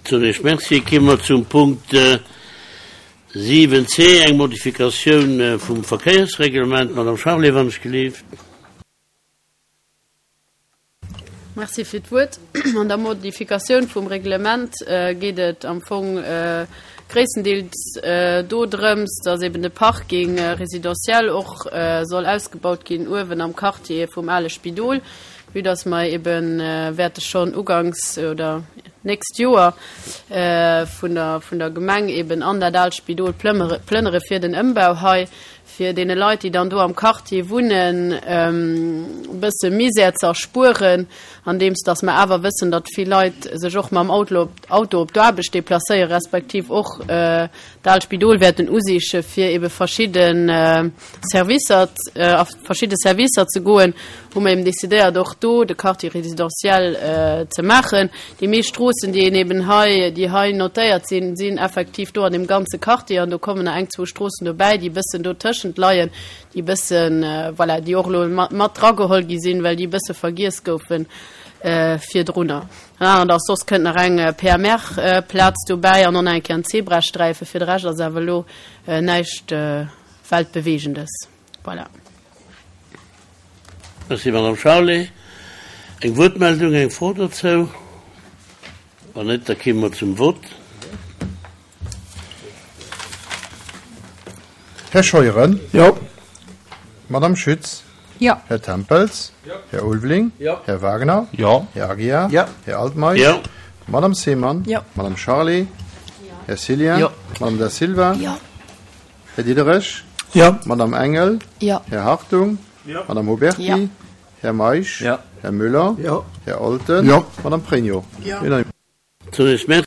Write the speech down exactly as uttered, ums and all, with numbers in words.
Zunächst Merci. Komme mer zum Punkt siwen C, eng Modifikatioun vum Verkéiersreglement. Madame Charlé, wann ech gelift. Merci fir d'Wuert. An der Modifikatioun vum Reglement geet et am Fong gréisstendeels dodrëms, dass eben de Parking résidentiel och soll ausgebaut ginn uewen am Quartier vum ale Spidol, vue dass mer eben wäerte schonn uganks oder nächst Joer vun der vun der Gemeng eben an dat aalt Spidol plëmmere plënnere fir den Ëmbau hei, fir deene Leit, déi dann do am Quartier wunnen, e bësse Misär ze erspueren, andeems dass mer awer wëssen, datt vill Leit sech och mam Auto Auto op d'Aarbecht deplacéieren, respektiv och d'alt Spidol wäerten usiche fir ebe verschidde Servicer a verschidde Servicer ze goen, hu mer eben decidéiert, och do de Quartier résidentiel ze maachen. Déi meescht Stroossen, déi een eben hei, déi hei notéiert sinn, sinn effektiv do an deem ganze Quartier an do kommen nach eng, zwou Stroossen dobäi, déi e bëssen dotëschent leien, déi e bëssen, voilà, déi och elo mat drageholl gi sinn, well déi e bësse vergiess goufe virdrunner. An anert ass, soss kënnt nach eng P M R-Plaz dobäi an och nach eng Kéier en Zebrasträife. Fir de Rescht ass awer elo näischt Weltbewegendes. Voilà. Merci, Madame Charlé. Eng Wuertmeldung, eng Fro dozou? Wann net, da komme mer zum Vott. Här Scheuren? Jo. Madame Schütz? Jo. Här Tempels? Jo. Här Ulveling? Jo. Här Wagner? Jo. Här Aguiar? Jo. Här Altmeisch? Jo. Madame Seemann? Jo. Madame Charlé? Jo. Här Cillien? Jo. Madame Da Silva? Jo. Här Diderich? Jo. Madame Engel? Jo. Här Hartung? Jo. Madame Huberty? Jo. Här Meisch? Jo. Här Müller? Jo. Här Olten? Jo. Madame Pregno? Jo. Unanimité. Zunächst Merci.